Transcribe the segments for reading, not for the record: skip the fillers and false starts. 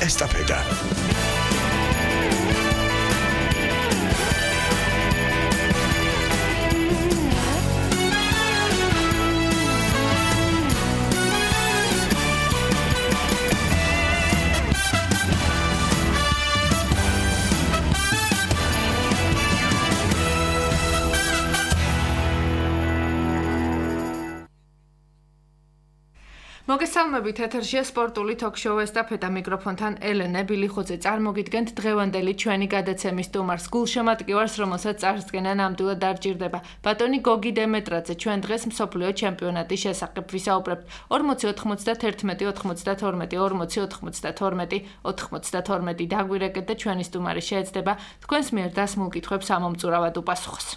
ესტაფეტა. მოგესალმებით, ეთერშია სპორტული ток-შოუ ესტაფეტა მიკროფონთან ელენე ბილიხოძე. წარმოგიდგენთ დღევანდელი ჩვენი გადაცემის სტუმარს, გულშემატკივარს, რომელსაც წარსდგენა ნამდვილად არ ჭირდება. ბატონი გოგი დემეტრაძე, ჩვენ დღეს მსოფლიო ჩემპიონატის შესახებ ვისაუბრებთ. 40-91-92 დაგვირეკეთ და ჩვენი სტუმარი შეეცდება თქვენს მიერ დასმულ კითხვებს ამომწურავად უპასუხოს.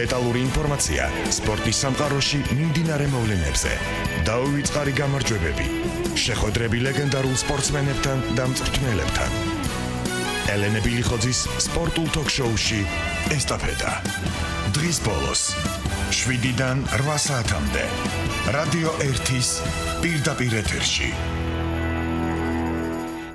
დეტალური ინფორმაცია სპორტის სამყაროში მიმდინარე მოვლენებზე. დაუვიწყარი გამარჯვებები. შეხვედრები ლეგენდარულ სპორტსმენებთან და მწვრთნელებთან. ელენე ბილიხოძის სპორტულ ток-შოუში ესტაფეტა. დღის ბოლოს 7-დან 8 საათამდე. რადიო 1-ის პირდაპირ ეთერში.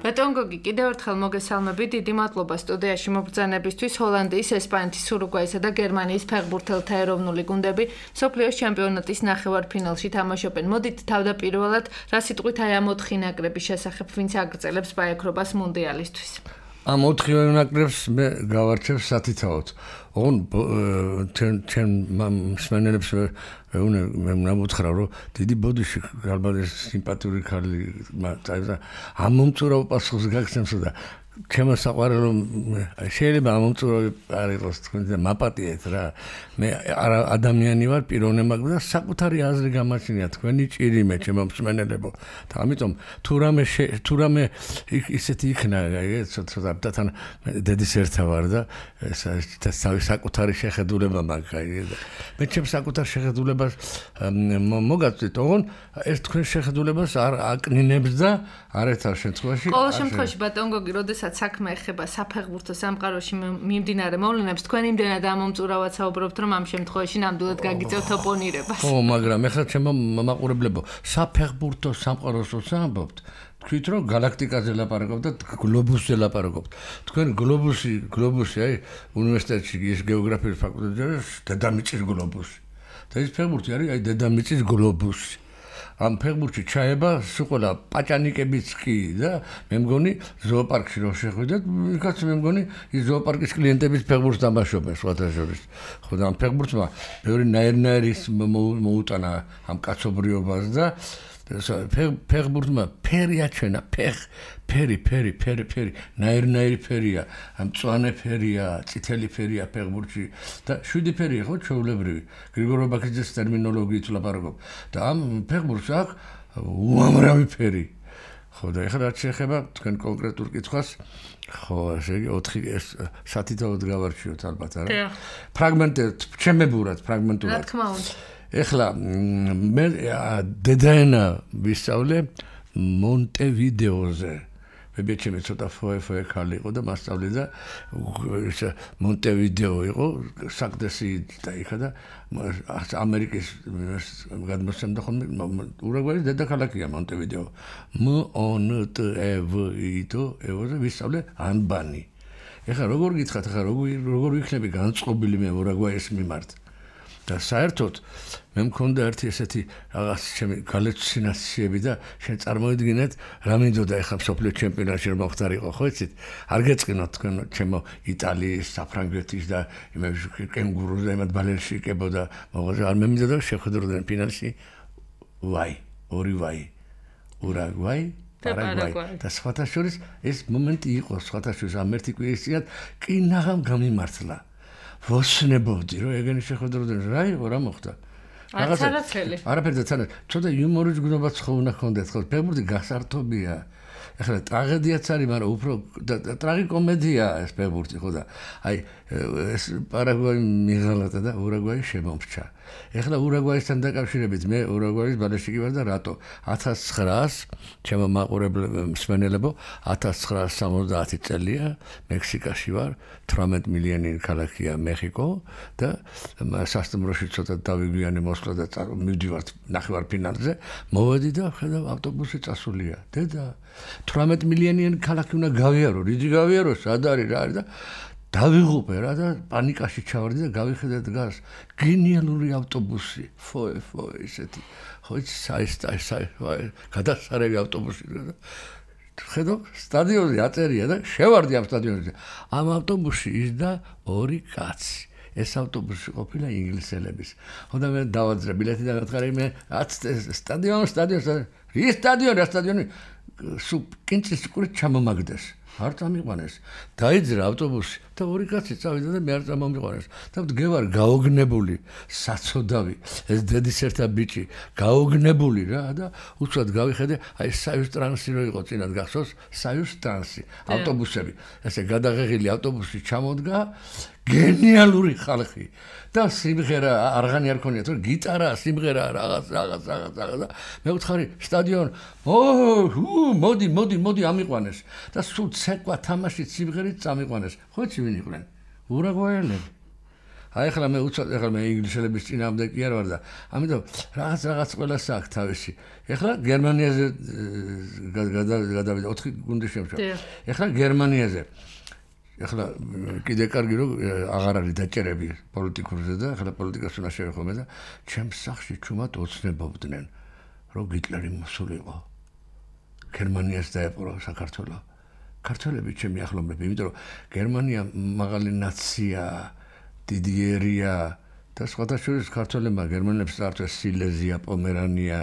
ბატონ გოგი, კიდევ ერთხელ მოგესალმებით, დიდი მადლობა სტუდიაში მობრძანებისთვის. ჰოლანდიის, ესპანეთის, ურუგვაისა და გერმანიის ფეხბურთელთა ეროვნული გუნდები მსოფლიოს ჩემპიონატის ნახევარფინალში თამაშობენ. მოდით თავდაპირველად რა სიტყვით აი ამ 4 ნაკრების შესახებ, ვინც აგრძელებს ბაიქრობას მუნდიალისთვის. ამ 4 ნაკრებს მე გავარჩევ სათითაოდ. ჩვენ მსმენელებს მე ნამოთხრა რომ დიდი ბოდიში ალბათ სიმპათიური ქალი ამ მომწურავ პასუხს გაგცემსო და ჩემო საყვარელო შეიძლება ამ მომწურავი არ იყოს თქვენ და მაპატიეთ რა მე ადამიანი ვარ პიროვნე მაგრამ და საკუთარი აზრი გამაჩნია თქვენი ჭირიმე ჩემო მსმენელებო და ამიტომ თუ რამე ისეთი იქნა ცოტა თან დედის ერთა ვარ და საკუთარი შეხედულება მაქვს მე ჩემს საკუთარ შეხედულებას მოგაწვით ოღონ ეს თქვენ შეხედულებას არ აკნინებს და არ ეცარ შემთხვევაში ყოველ შემთხვევაში ბატონ გოგი როდესაც საქმე ეხება საფეხბურთო სამყაროში მიმდინარე მოვლენებს თქვენ იმდენად ამომწურავად საუბრობთ რომ ამ შემთხვევაში ნამდვილად გაგიწევთ ოპონირებას. ხო, მაგრამ ეხლა ჩემო მაყურებლებო, საფეხბურთო სამყაროს ვსაუბრობთ. თქვით რომ galaktikაზე ლაპარაკობთ და გლობუსზე ლაპარაკობთ. თქვენ გლობუსი აი უნივერსიტეტში ის გეოგრაფიის ფაკულტეტზე დედამიწის გლობუსი. და ეს ფეხბურთი არის აი დედამიწის გლობუსი. ამ ფეხბურთში ჩაება სულ პაჭანიკებიც კი და მე მგონი ზოოპარკში რო შეხვიდეთ, იქაც მე მგონი ის ზოოპარკის კლიენტების ფეხბურთს თამაშობენ სხვათა შორის. ხო და ამ ფეხბურთმა ბევრი ნაირ-ნაირის მოუტანა ამ კაცობრიობას და ფეხბურთმა ფერი აჩვენა, ფერი, ნაირ-ნაირი ფერია, მწვანე ფერია, წითელი ფერია ფეხბურთში და 7 ფერია ხო ჩვეულებრივი. გრიგორ ბაქიძის ტერმინოლოგიით ლაპარაკობ. და ამ ფეხბურთს აქვს უამრავი ფერი. ხო და ეხლა რაც შეეხება თქვენ კონკრეტულ კითხვას, ხო, ესე იგი 4 სათითაოდ გავარჩიოთ ალბათ არა? ფრაგმენტად, ჩემებურად ფრაგმენტულად. რა თქმა უნდა. ეხლა მე დედაენა ვისწავლე მონტევიდეოზე. ბებიაჩემი ცოტა ფოე ხალი იყო და მასწავლე და მონტევიდეო იყო საკდესი და იქა და ამერიკის გადმოსცემდა ხოლმე ურუგვაის დედაქალაქია მონტევიდეო. მონტევიდეო ევოზე ვისწავლე ანბანი. ეხლა როგორ გითხრათ, ეხლა როგორ ვიქნები განწყობილი მე ურუგვაის მიმართ. და საერთოდ მე მქონდა ერთი ესეთი რაღაც ჩემი გალეცინაციები და შენ წარმოიდგინეთ რა მინდოდა ეხლა მსოფლიო ჩემპიონატში რომ მოხდარიყო ხო იცით არ გეწყინოთ თქვენ ჩემო იტალიის საფრანგეთის და იმების კენგურუს და იმათ ბალერში იკებოდა მოღაზე არ მე მინდოდა შეხვედროდნენ ფინალში ურუგვაი პარაგვაი და სხვათა შორის ეს მომენტი იყო სხვათა შორის ამ ერთი კვირის წინათ კი ნაღამ გამიმართლა ვოსნებობდი რომ ეგენი შეხვედროდნენ რა იყო რა მოხდა არაცელი არაფერდა თანაც ცოტა იუმორის გნობაც ხო უნდა ქონდეთ ხო ფეხბურთი გასართობია ეხლა ტრაგედიაც არის მაგრამ უფრო ტრაგიკომედია ეს ფეხბურთი ხო და აი ეს პარაგვაი მიღალატა და ურუგვაი შემომრჩა ეხლა ურუგვაისთან დაკავშირებით მე ურუგვაის ბალეშიკი ვარ და რატო 1900 ჩემო მსმენელებო 1970 წელია მექსიკაში ვარ 18 მილიონი ქალაქია მეხიკო და სასტუმროში ცოტა დავიგვიანე მოსვლა და მივდივართ ნახევარფინალზე მოვედი და ხედავ ავტობუსი წასულია დედა 18 მილიონიანი ქალაქი უნდა გავიარო რიდი გავიარო სად არის რა არის და დავიღუპე რა და პანიკაში ჩავარდი და გავიხედე დგას გენიალური ავტობუსი ფოე ესეთი ხო საი გადასარევი ავტობუსი და ხედავ სტადიონზე აწერია და შევარდი ამ სტადიონზე ამ ავტობუსში ისდა ორი კაცი ეს ავტობუსი ყოფილა ინგლისელების ხო და მე დავაძრე ბილეთი და გათხარი მე სტადიონი კინჭის ყურით ჩამომაგდეს არ წამიყვანეს დაიძრა ავტობუსი და ორი კაცი წავიდა და მე არ წამომიყვანეს და მდგევარ გაოგნებული საცოდავი ეს დედის ერთა ბიჭი გაოგნებული რა და უცბად გავიხედე აი საიუს ტრანსი რო იყო წინათ გახსოვს საიუს ტრანსი ავტობუსები ესე გადაღեղილი ავტობუსი ჩამოდგა გენიალური ხალხი და სიმღერა არღანი არ ქონია თორე გიტარა სიმღერა რაღაც და მე ვთხარი სტადიონ მოდი ამიყვანეს და სულ ცეკვა თამაში სიმღერით წამიყვანეს ხოჩი ვინ იყვნენ ურუგვაელები აი ახლა მე უცბად ახლა მე ინგლისელების წინამდე კი არ ვარ და ამიტომ რაღაც ყველა საქმე თავისი ახლა გერმანიაზე გადავიდა 4 გუნდი შემჭა ახლა გერმანიაზე ახლა კიდე კარგი რომ აღარ არის დაჭერები პოლიტიკურზე და ახლა პოლიტიკას უნდა შევეხომე და ჩემს სახში ჩუმად ოცნებობდნენ რომ გიტლერი მოსულიყო გერმანიას დაეპყრო საქართველო ქართველები ჩემი ახლობლები იმიტომ რომ გერმანია მაღალი ნაცია დიდი ერია და სხვადასხვა ქართველებმა გერმანელებს წარწეს სილეზია პომერანია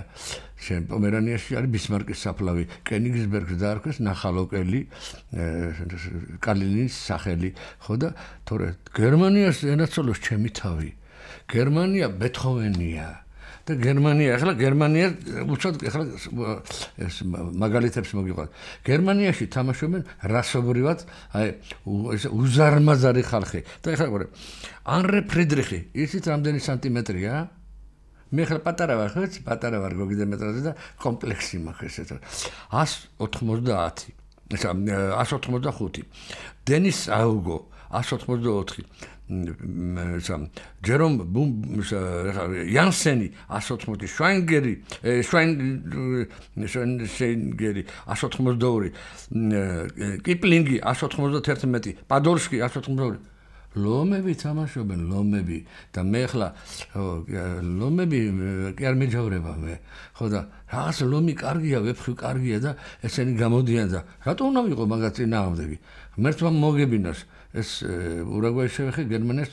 პომერანიაში არის ბისმარკის საფლავი კენიგსბერგს დაარქვეს ნახალოკელი კალინის სახელი ხო და თორე გერმანიას ენაცოლოს ჩემი თავი გერმანია ბეთჰოვენია და გერმანია ახლა გერმანია უცოდ ახლა ეს მაგალითებს მოგიყვანთ გერმანიაში თამაშობენ რასობრივად აი ეს უზარმაზარი ხალხი და ახლა ყურე ანრე ფრიდრიხი ისიც რამდენი სანტიმეტრია მე ხარ პატარა ვარ გოგიდე მეტრაზე და კომპლექსი მაქვს ესეც 190 ესა 185 დენის აუგო 184 ჯერომ იანსენი 180 შვაინგერი 182 კიპლინგი 191 პადორსკი 182 ლომები თამაშობენ ლომები და მე ხლა ლომები კი არ მეჯავრება მე ხო და რაღაც ლომი კარგია ვეფხვი კარგია და ესენი გამოდიან და რატო უნდა ვიყო მაგას წინააღმდეგი ღმერთმა მოგებინოს ეს ურუგვაის შევეხე გერმანიას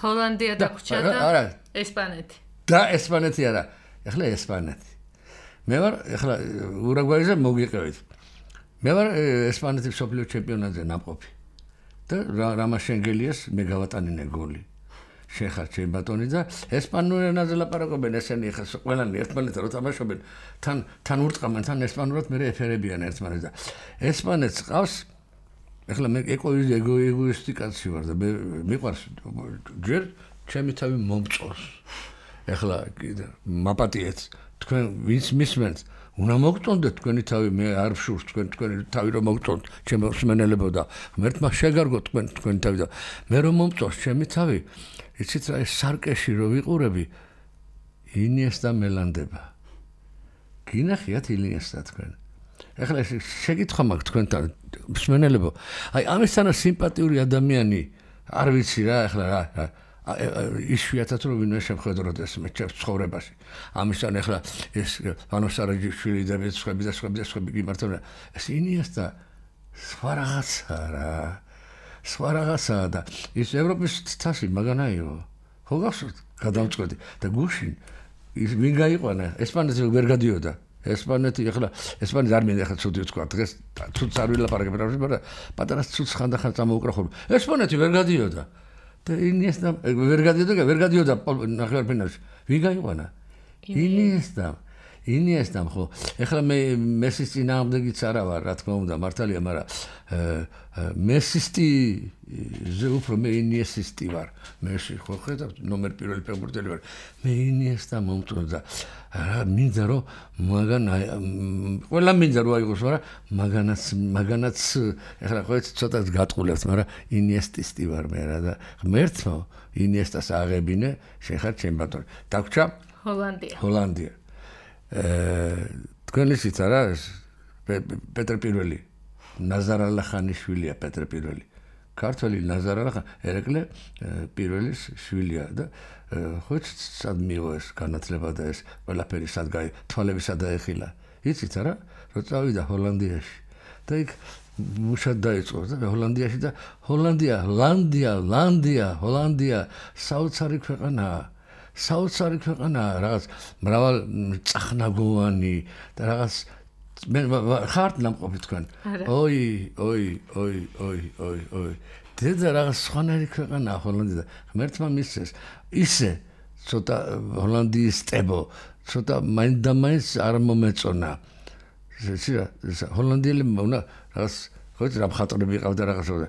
ჰოლანდია დაგვრჩა და ესპანეთი და ესპანეთი არა ეხლა ესპანეთი მე ვარ ეხლა ურუგვაიზე მოგიყევით მე ვარ ესპანეთის მსოფლიო ჩემპიონატზე ნამყოფი და რამაშენგელიას მე გავატანინე გოლი შეხარ ჩემ ბატონი და ესპანურ ენაზე ლაპარაკობენ ესენი ხა ყველანი ერთმანეთს რო თამაშობენ თან ურტყამენ თან ესპანურად მე ეფერებიან ერთმანეთს და ესპანეთს ყავს ეხლა მე ეგოისტი კაცი ვარ და მე მიყვარს ჯერ ჩემი თავი მომწონს ეხლა კიდე მაპატიეთ თქვენ ვინც მისმენთ უნდა მოგწონდეთ თქვენი თავი მე არ ვშურს თქვენი თავი რომ მოგწონთ ჩემო მსმენელებო და ღმერთმა შეგარგო თქვენი თავი და მე რომ მომწონს ჩემი თავი იცით რა ეს სარკეში რო ვიყურები ინიესტა მელანდება გინახიათ ინიესტა თქვენ ეხლა შეკითხვა მაქვს თქვენთან მსმენელებო აი ამისთანა სიმპათიური ადამიანი არ ვიცი რა ეხლა რა იშვიათად რომ ვინმე შემხედროთ ეს მე ცხოვრებაში ამისთან ეხლა ეს ვანოსარაჯიშვილი და სხვები გიმართებიან ეს ინიესტა სხვა რაღაცა და ის ევროპის თასი მაგანაიო ხო გახსოვთ გადავწყვეტი და გუშინ ის ვინ გაიყვანა ესპანეთში ვერ გადიოდა ესპანეთი ახლა ესპანეთი არ მინდა ახლა ცუდი ვთქვა დღეს ცუდს არ ვილაპარაკებ მაგრამ პატარა ცუდს ხანდახან წამოუკრა ხოლმე ესპანეთი ვერ გადიოდა და ინიესტა ვერ გადიოდა ნახევარფინალში ვინ გაიყვანა ინიესტა ინიესტამ ხო ეხლა მე მესის წინააღმდეგიც არა ვარ რა თქმა უნდა მართალია მაგრამ მესისტიზე უფრო მე ინიესისტი ვარ მეში ხო ხედავთ ნომერ პირველი ფეხბურთელი ვარ მე ინიესტა მომწონდა რა მინდა რომ ყველა მინდა რომ აიღოს მაგრამ მაგანაც ეხლა ხო ცოტა გატყულებთ მაგრამ ინიესტისტი ვარ მე რა და ღმერთო ინიესტას აღებინე შენ ხარ ჩემ ბატონი დაგვრჩა ჰოლანდია თქვენ იცით არა პეტრე პირველი ნაზარ ალახანიშვილია პეტრე პირველი ქართველი ნაზარ ალახანი ერეკლე პირველის შვილია და ხო სად მიიღო ეს განათლება და ეს ყველაფერი სად თვალები სად დაეხილა იცით არა რომ წავიდა ჰოლანდიაში და იქ მუშად დაიწყო და ჰოლანდიაში და ჰოლანდია საოცარი ქვეყანაა რაღაც მრავალ წახნაგოვანი და რაღაც მე ხართ ნამყოფი თქვენ ოი დედა რაღაც სხვანაირი ქვეყანაა ჰოლანდია ღმერთმა მისცეს ისე ცოტა ჰოლანდიის ტებო ცოტა მაინდამაინც არ მომეწონა ჰოლანდიელებმა უნდა რაღაც ხო რა მხატვრები ყავდა რაღაცა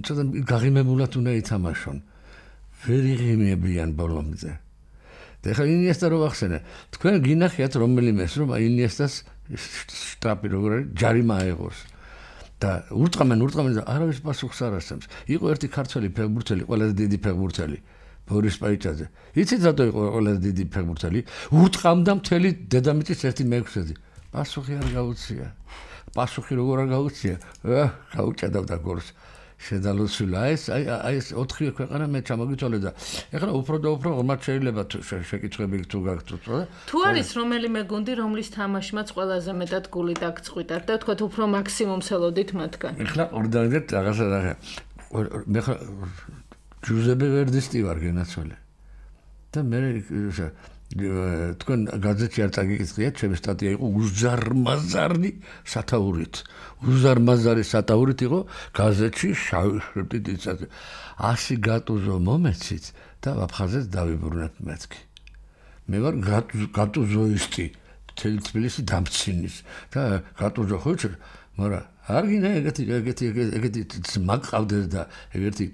ცოტა გაღიმებულად უნდა ითამაშონ ვერ იღიმებიან ბოლომდე და ხა ინიესტა რო ახსენე თქვენ გინახიათ რომელიმეს რომ ინიესტას შტაპი როგორ არის ჯარიმა აიღოს და ურტყამენ და არავის პასუხს არ ასცემს იყო ერთი ქართველი ფეხბურთელი ყველაზე დიდი ფეხბურთელი ბორის პაიჭაძე იცით რატო იყო ყველაზე დიდი ფეხბურთელი ურტყამდა მთელი დედამიწის 1/6 პასუხი არ გაუწია პასუხი როგორ არ გაუწია გაუჭედავდა გორს შედალოცვილა ეს 4 ქვეყანა მე ჩამოგიწოლე და ეხლა უფრო და უფრო ღმართ შეიძლება შეკითხვები თუ გაგვწევთ თუ არის რომელიმე გუნდი რომლის თამაშმაც ყველაზე მეტად გული დაგწყვიტათ და თქვათ უფრო მაქსიმუმს ელოდით მათგან ეხლა ორდანეთ რაღაცა მე ხა ჯუზეპე ვერდისტი ვარ გენაცვალე და მე თქვენ გაზეთში არ წაგიკითხეთ ჩემი სტატია იყო უზარმაზარი სათაურით იყო გაზეთში შავი შრიფტით იცადა 100 გატუზო მომეცით და აფხაზეთ დავიბრუნეთ მეთქი მე ვარ გატუზოისტი თბილისი დამცინის და გატუზო ხო იცი მაგრამ არ გინდა ეგეთი მაგყავდეს და ეგეთი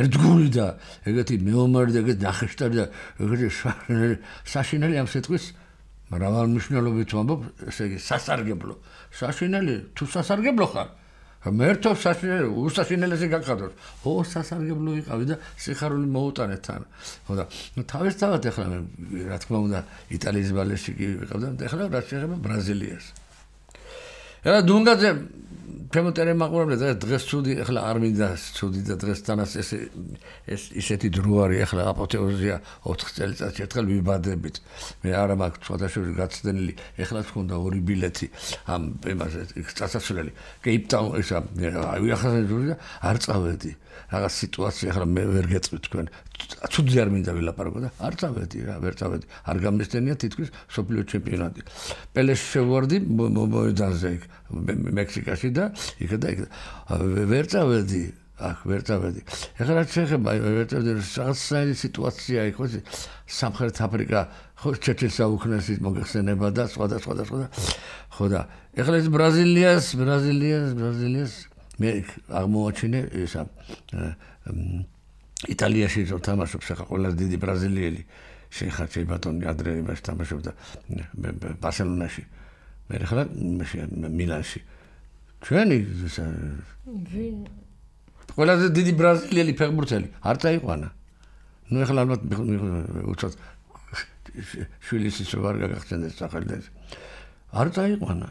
ერთგული და ეგეთი მეომარი და ეგეთი ნახეშტარი და ეგეთი საშინელი ამ სიტყვის მრავალმნიშვნელობით ვამბობ ესე იგი სასარგებლო საშინელი თუ სასარგებლო ხარ მერთო საშინელი უსაშინელესი გაგხადოთ სასარგებლო ვიყავი და სიხარული მოუტანეთ თან ხო და თავისთავად ეხლა მე რა თქმა უნდა იტალიის ბალეტში კი ვიყავ და ეხლა რა შეიძლება ბრაზილიას ეხლა დუნგაძე ჩემო ტელემაყურებლებს დღეს ცუდი ეხლა არ მინდა ცუდი და დღეს თანაც ეს ისეთი დრო არის ეხლა აპოთეოზია 4 წელიწადში ერთხელ ვიბადებით მე არა მაქვს სხვადასხვა გაცდენილი ეხლა თქონდა 2 ბილეთი ამ იმაზე წასასვლელი კეიპტაუნ ესა ვიახაზენ არ წავედი რაღაც სიტუაცია ეხლა მე ვერ გეწვით თქვენ ცუდი არ მინდა ვილაპარაკო და არ წავედი რა ვერ წავედი არ გამესტენია თითქოს სოფლიო ჩემპიონატი პელეს შევარდი მოედანზე მექსიკაში და იქ ვერ წავედი ეხლა რაც შეეხება ვერ წავედი რაღაცა სიტუაცია იყო სამხრეთ აფრიკა ხო ჩეჩელსა უქნესი მოგეხსენება და სხვა ხო და ეხლა ეს ბრაზილიას მე აღმოაჩინე ესა იტალიაში რო თამაშობს ახლა ყველაზე დიდი ბრაზილიელი შეხარჩე ბატონი ადრე იმაში თამაშობდა ბარსელონაში მე ახლა მილანში ჩვენი ყველაზე დიდი ბრაზილიელი ფეხბურთელი არ წაიყვანა ნუ ახლა ალბათ უცად შვილის ისე ვარ გაგახსენდეს სახელს არ წაიყვანა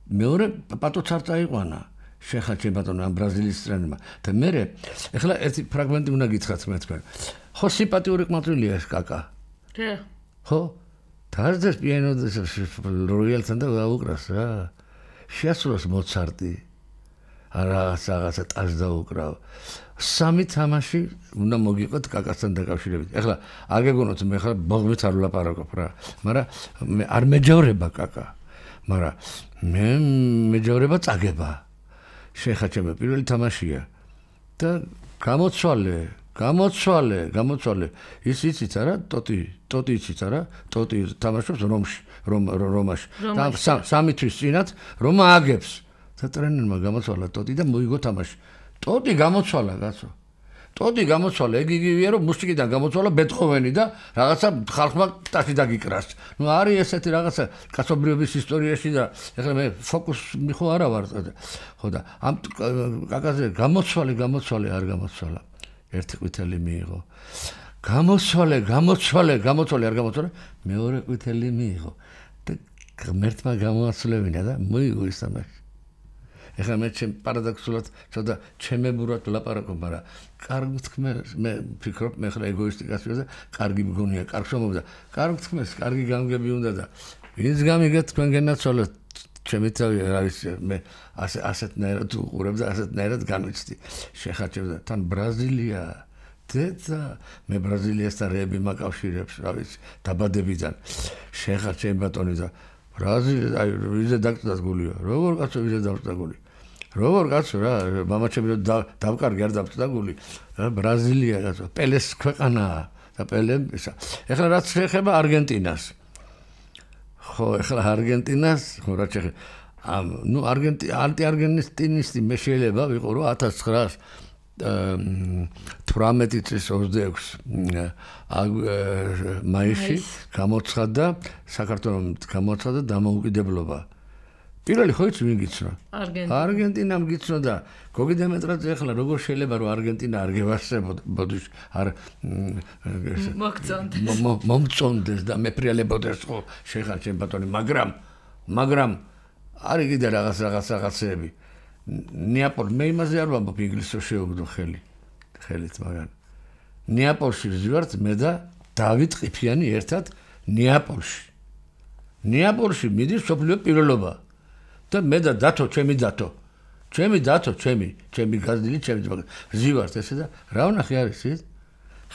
მეორე პატოც არ წაიყვანა შეხარჩე ბატონო ამ ბრაზილიის ტრენერმა და მე ახლა ერთი ფრაგმენტი უნდა გითხრათ მე თქვენ ხო სიმპათიური ყმაწვილია ეს კაკა ხო თარდეს პიანო როიალთან და დაუკრას რა შეასრულოს მოცარტი რაღაცა ტას დაუკრავ სამი თამაში უნდა მოგიყოთ კაკასთან დაკავშირებით ეხლა აგეგონოთ მე ხარ ბოღმით არ ვლაპარაკობ რა მაგრამ მე არ მეჯავრება კაკა მაგრამ მე მეჯავრება წაგება შეხაჩემ პირველი თამაშია და გამოცვალე გამოცვალე. ის იცით არა? ტოტი იცით არა? ტოტი თამაშობს რომაში. და 3 თვის წინათ რომა აგებს. და ტრენერმა გამოცვალა ტოტი და მოიგო თამაში. ტოტი გამოცვალა, კაცო. ტოტი გამოცვალა, ეგ იგივეა რომ მუსიკიდან გამოცვალა ბეთჰოვენი და რაღაცა ხალხმა ტაში დაგიკრას. ნუ არის ესეთი რაღაცა კაცობრიობის ისტორიაში და ეხლა მე ფოკუს მიხო არა ვარ. ხო და ამ კაკაზე გამოცვალე არ გამოცვალა. ერთი ყვითელი მიიღო. გამოცვალე არ გამოცვალე, მეორე ყვითელი მიიღო. და ღმერთმა გამოაცვლებინა და მოიგო ის თამაში. ეხლა მე პარადოქსულად ცოტა ჩემებურად ვლაპარაკობ, მაგრამ კარგი თქმეს, მე ვფიქრობ, მე ხლა ეგოისტიკას ვიძა, კარგი მგონია, კარგ შრომობდა. კარგი თქმეს, კარგი გამგები უნდა და ვინც გამიგეთ თქვენ გენაცვალოთ, ჩემი თავი რა ვიცი, მე ასეთნაირად უყურებ და ასეთნაირად განვიცდი. შეხაჩებ და თან ბრაზილია დედა, მე ბრაზილიასთან რეები მაკავშირებს, რა ვიცი, დაბადებიდან. შეხაჩებ ბატონი და ბრაზილია, აი ვიზე დაგწდას გულია. როგორ კაცო ვიზე დაგწდა გული? როგორ კაცო რა, მამაჩემი დავკარგი არ დავწდა გული. ბრაზილია კაცო, პელეს ქვეყანაა და პელემ ისა. ეხლა რაც შეეხება არგენტინას. ხო, ეხლა არგენტინას, ხო რა შეეხება. ნუ ანტიარგენტინისტი მე შეიძლება ვიყო რომ 1918 წლის 26 მაისში გამოცხადდა საქართველოს გამოცხადდა დამოუკიდებლობა. პირველი ხო იცი ვინ გიცნო? არგენტინამ გიცნო და გოგი დემეტრაძე ახლა როგორ შეიძლება რომ არგენტინა არ გევასებოდეს არ მომწონდეს და მეფრიალებოდეს ხო შეხარჩენ ბატონი მაგრამ არის კიდე რაღაცეები ნეაპოლი მე იმაზე არ ვამბობ ინგლისურ შეუგდო ხელით მაგრამ ნეაპოლში ვზივართ მე და დავით ყიფიანი ერთად ნეაპოლში მიდის სოფლიო პირველობა და მე და დათო ჩემი გაზდილი ჩემი ვზივართ ესე და რა ვნახე არის ის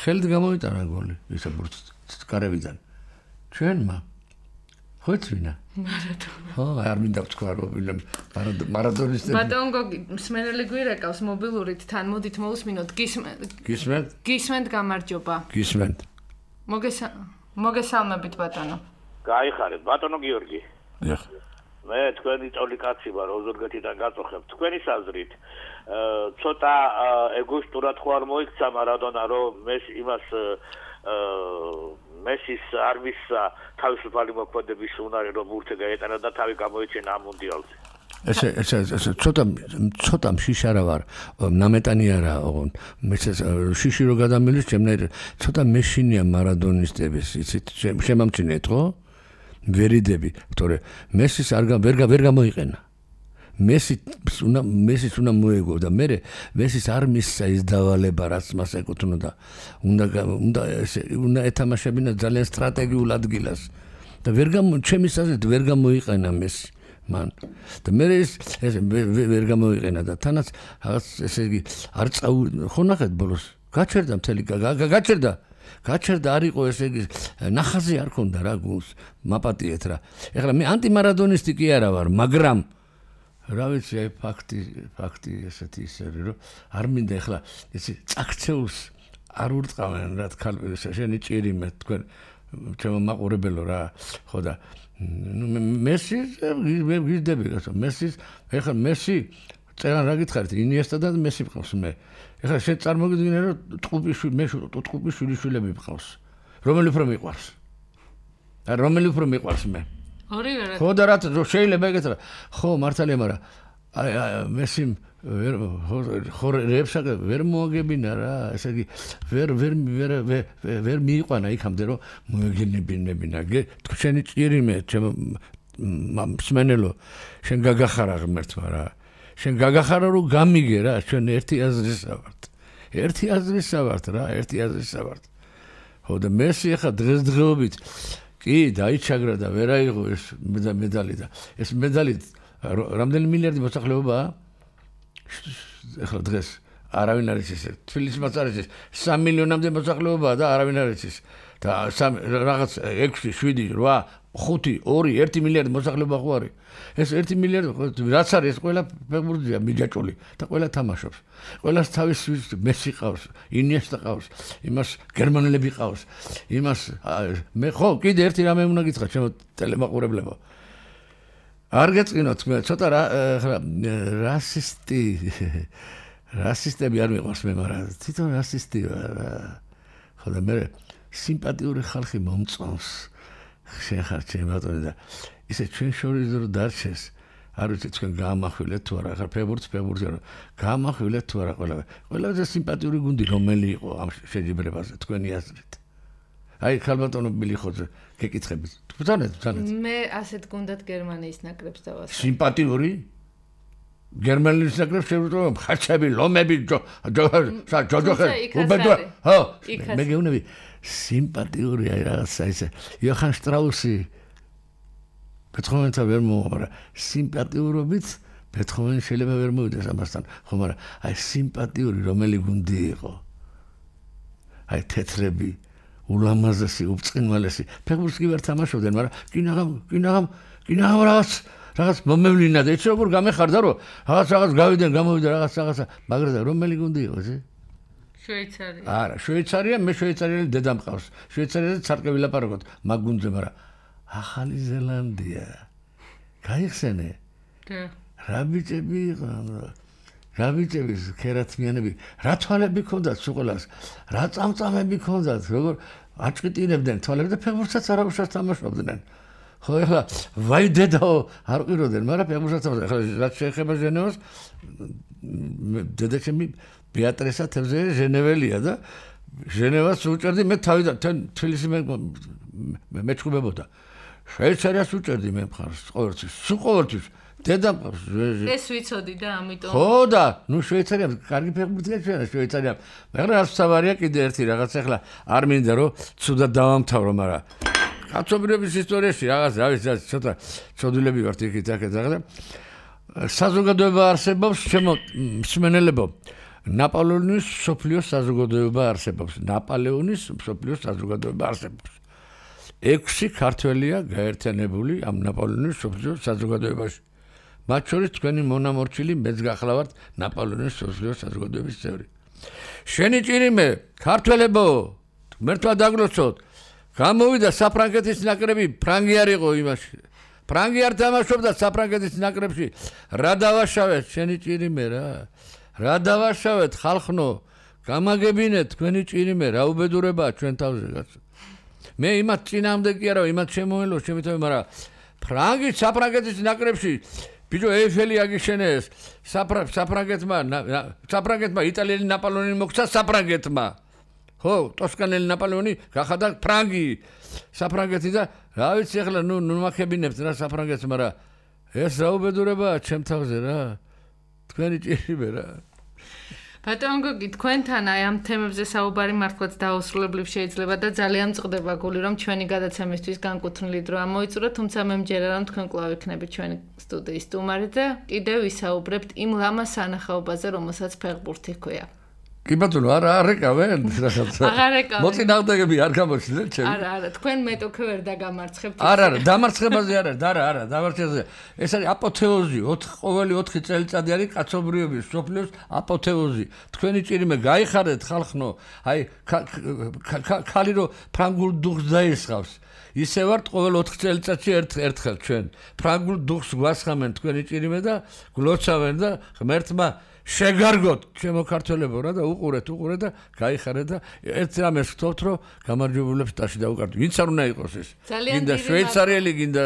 ხელით გამოიტანა გოლი ისა კარევიდან ჩვენმა ხო წინა ხო არ მინდა ვთქვა რომ მარადონისტები ბატონ გოგი მსმენელი გვირეკავს მობილურით თან მოდით მოусმინოთ გისმენთ გამარჯობა გისმენთ მოგესალმებით ბატონო გაიხარეთ ბატონო გიორგი მე თქვენი წოლი კაცი ვარ ოზურგეთიდან გაწოხებ თქვენის აზრით ცოტა ეგოისტურად ხო არ მოიქცა მარადონა რომ მესის არმის თავისუფალი მოქმედების უნარი რომ ურთე გაეტანა და თავი გამოიჩენა ამ მუნდიალზე ესე ცოტა მშიშარა ვარ ნამეტანი არა ოღონ მე შიში რო გადამილის ჩემნაირ ცოტა მეშინია მარადონისტების იცით შემამჩნიეთ ხო ვერიდები თორე მესის ვერ გამოიყენა მესის უნდა მოეგო და მე მესის არ მისცა ის დავალება რაც მას ეკუთვნოდა უნდა ეთამაშებინა ძალიან სტრატეგიულ ადგილას და ჩემის აზრით ვერ გამოიყენა მესი მან და მე ეს ვერ გამოიყენა და თანაც რაღაც ესე იგი არ ხო ნახეთ ბოლოს გაჩერდა მთელი გაჩერდა არ იყო ესე იგი ნახაზი არ ქონდა რა გულს მაპატიეთ რა ეხლა მე ანტიმარადონისტი კი არა ვარ მაგრამ რა ვიცი აი ფაქტი ესეთი ისე რომ არ მინდა ეხლა ესე წაქცეულს არ ურტყავენ რა თქმა შენი ჭირიმე თქვენ ჩემო მაყურებელო რა ხო და მესი მე ვიზდები გასო მესის ეხლა მესი წერან რა გითხარით ინიესტა და მესი მყავს მე ეხლა შენ წარმოგიდგინე რომ ტყუპის შვილიშვილები მყავს რომელი უფრო მიყვარს მე ორივე რა ხო და რა შეიძლება ეგეთ რა ხო მართალია მაგრამ აი მესიმ ხო რეებსაკ ვერ მოაგებინა რა ესე იგი ვერ მიიყვანა იქამდე რომ მოეგენებინებინა შენი ჭირიმე ჩემ მსმენელო შენ გაგახარა ღმერთმა რა შენ გაგახარა რომ გამიგე რა ჩვენ ერთი აზრისა ვართ ხო და მესი ახლა დღესდღეობით კი დაიჩაგრა და ვერ აიღო ეს მედალი და ეს მედალი რამდენი მილიარდი მოსახლეობაა ახლა დღეს არავინ არ იცის თბილისის მაწარეში 3 მილიონამდე მოსახლეობაა და არავინ არ იცის და რაღაც 6 7 8 5 2 1 მილიარდი მოსახლეობა ხო არის ეს 1 მილიარდი რაც არის ეს ყველა ფეხბურთია მიჯაჭული და ყველა თამაშობს ყველას თავის მესი ყავს ინიესტა ყავს იმას გერმანელები ყავს იმას მე ხო კიდე ერთი რამე უნდა გითხრა ჩემო ტელემაყურებლებო არ გეწყინოთ მე ცოტა რასისტები არ მიყვარს მე მაგრამ თვითონ რასისტი ვარ ხო და მე სიმპათიური ხალხი მომწონს შენ ხარ ჩემი ბატონი და ისე ჩვენ შორის რო დარჩეს არ ვიცი თქვენ გაამახვილეთ თუ არა ხარ ფეხბურთი რა გაამახვილეთ თუ არა ყველაზე სიმპათიური გუნდი რომელი იყო ამ შეჯიბრებაზე თქვენი აზრით აი ხალბატონო მილიხოძე გეკითხებით ბრძანეთ მე ასეთ გუნდად გერმანიის ნაკრებს დავასწრებ სიმპათიური გერმანიის ნაკრებს შევუწევ ხაჩები ლომები ჯოჯოხე უბედო ხო მე გეუბნები სიმპათიური აი რაღაცა ისე იოჰან შტრაუსი ბეთჰოვენთან ვერ მოვა სიმპათიურობით ბეთჰოვენი შეიძლება ვერ მოვიდეს ამასთან ხო მაგრამ აი სიმპათიური რომელი გუნდი იყო აი თეთრები ულამაზესი უბწყინვალესი ფეხბურთს კი ვერ თამაშობდნენ მაგრამ კინაღამ რაღაც მომევლინა და იცი როგორ გამეხარდა რომ რაღაც გავიდნენ გამოვიდა რაღაცა მაგრამ რომელი გუნდი იყო ეს შვეიცარია არა შვეიცარია მე შვეიცარიელი დედა მყავს შვეიცარიაზე ცარტყე ვილაპარაკოთ მაგ გუნდზე მაგრამ ახალი ზელანდია გაიხსენე რა ბიჭები იყვნენ რა ბიჭები ქერათმიანები რა თვალები ქონდათ სუყლას რა წამწამები ქონდათ როგორ აჭყიტინებდნენ თვალები და ფეხბურთსაც არ უშავს თამაშობდნენ ხო ეხლა ვაი დედაო არ ყიროდნენ მაგრამ ფეხბურთსაც ეხლა რაც შეეხება ჟენევას დედაჩემი ბეატრესა თევზე ჟენეველია და ჟენევას უჭერდი მე თავიდან თბილისი მეჩხუბებოდა შვეიცარიას უჭერდი მე მხარს ყოველთვის დედა მყავს ეს ვიცოდი და ამიტომ ხო და ნუ შვეიცარია კარგი ფეხბურთია ჩვენა შვეიცარია მაგრამ რაც თავარია კიდე ერთი რაღაც ახლა არ მინდა რომ ცუდად დავამთავრო მაგრამ კაცობრიობის ისტორიაში რაღაც რა ვიცი ცოტა ცოდვილები ვართ იქით-აქეთ და საზოგადოება არსებობს ჩემო მსმენელებო ნაპოლეონის სოფლიოს საზოგადოება არსებობს ნაპოლეონის სოფლიოს საზოგადოება არსებობს 6 ქართველია გაერთიანებული ამ ნაპოლეონის სოფლიოს საზოგადოებაში მათ შორის თქვენი მონამორჩილი მეც გახლავართ ნაპოლეონის სოფლიოს საზოგადოების წევრი შენი ჭირიმე ქართველებო მერთვა დაგლოცოთ გამოვიდა საფრანგეთის ნაკრები ფრანგი არ იყო იმაში ფრანგი არ თამაშობდა საფრანგეთის ნაკრებში რა დავაშავეთ შენი ჭირიმე რა დავაშავეთ ხალხნო გამაგებინეთ თქვენი ჭირიმე რა უბედურებაა ჩვენ თავზე კაცო მე იმათ წინამდე კი არა იმათ შემოელო შემითავე მაგრამ ფრანგი საფრანგეთის ნაკრებში ბიჭო ეიფელი აგიშენეს საფრანგეთმა იტალიელი ნაპოლეონი მოქცა საფრანგეთმა ხო ტოსკანელი ნაპოლეონი გახადა ფრანგი საფრანგეთი და რა ვიცი ახლა ნუ მახებინებთ რა საფრანგეთს მაგრამ ეს რა უბედურებაა ჩემ თავზე რა თქვენი ჭირიმე რა ბატონო გოგი თქვენთან აი ამ თემებზე საუბარი მართლაც დაუსრულებლივ შეიძლება და ძალიან მწყდება გული რომ ჩვენი გადაცემისთვის განკუთვნილი დრო ამოიწურა თუმცა მე მჯერა რომ თქვენ კვლავ იქნებით ჩვენი სტუდიის სტუმარი და კიდევ ვისაუბრებთ იმ ლამაზ სანახაობაზე რომელსაც ფეხბურთი ჰქვია კი ბატონო არ ეკავენ რაღაცა აღარ ეკავენ მოწინააღმდეგები არ გამოჩნდნენ ჩემი არა თქვენ მეტოქე ვერ დაგამარცხებთ არა დამარცხებაზე არა დამარცხებაზე ეს არის აპოთეოზი ყოველი 4 წელიწადი არის კაცობრიობის სოფლიოს აპოთეოზი თქვენი ჭირიმე გაიხარეთ ხალხნო აი ხალი რო ფრანგულ დუხს დაისხავს ისე ვართ ყოველ 4 წელიწადში ერთხელ ჩვენ ფრანგულ დუხს გვასხამენ თქვენი ჭირიმე და გლოცავენ და ღმერთმა შეგარგოთ ჩემო ქართველებო რა და უყურეთ და გაიხარეთ და ერთ რამეს ვთქვათ რომ გამარჯვებულებს ტაში დაუკარდით ვინც არ უნდა იყოს ეს გინდა შვეიცარიელი გინდა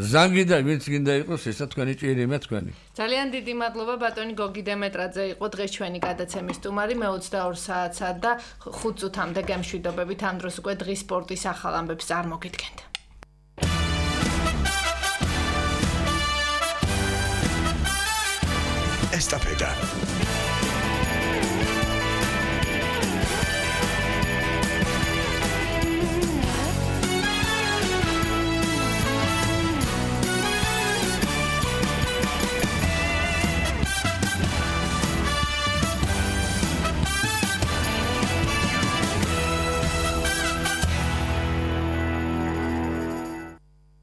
ზანგი და ვინც გინდა იყოს ესა თქვენი ჭირიმე თქვენი ძალიან დიდი მადლობა ბატონი გოგი დემეტრაძე იყო დღეს ჩვენი გადაცემის სტუმარი მე 22 საათსა და 5 წუთამდე გემშვიდობებით ამ დროს უკვე დღის სპორტის ახალ ამბებს წარმოგიდგენთ Estafeta.